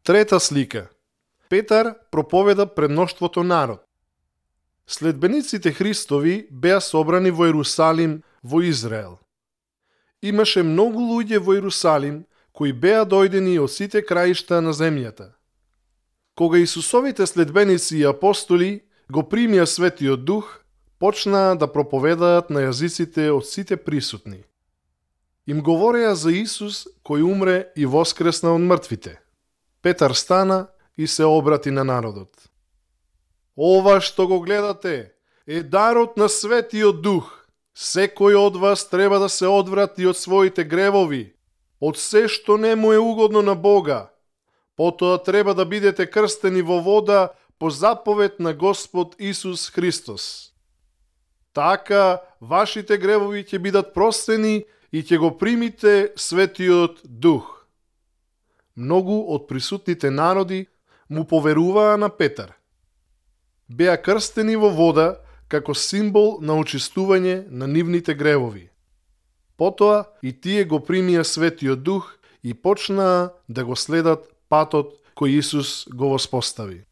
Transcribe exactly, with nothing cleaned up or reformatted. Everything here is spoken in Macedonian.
Трета слика. Петар проповеда пред мноштвото народ. Следбениците Христови беа собрани во Ерусалим, во Израел. Имаше многу луѓе во Ерусалим кои беа дојдени од сите краишта на земјата. Кога Исусовите следбеници и апостоли го примија Светиот Дух, почнаа да проповедаат на јазиците од сите присутни. Им говореа за Исус кој умре и воскресна од мртвите. Петар стана и се обрати на народот. Ова што го гледате е дарот на Светиот Дух. Секој од вас треба да се одврати од своите гревови, од се што не му е угодно на Бога. Потоа треба да бидете крстени во вода по заповед на Господ Исус Христос. Така вашите гревови ќе бидат простени и ќе го примите Светиот Дух. Многу од присутните народи му поверуваа на Петар. Беа крстени во вода како символ на очистување на нивните гревови. Потоа и тие го примија Светиот Дух и почнаа да го следат патот кој Исус го воспостави.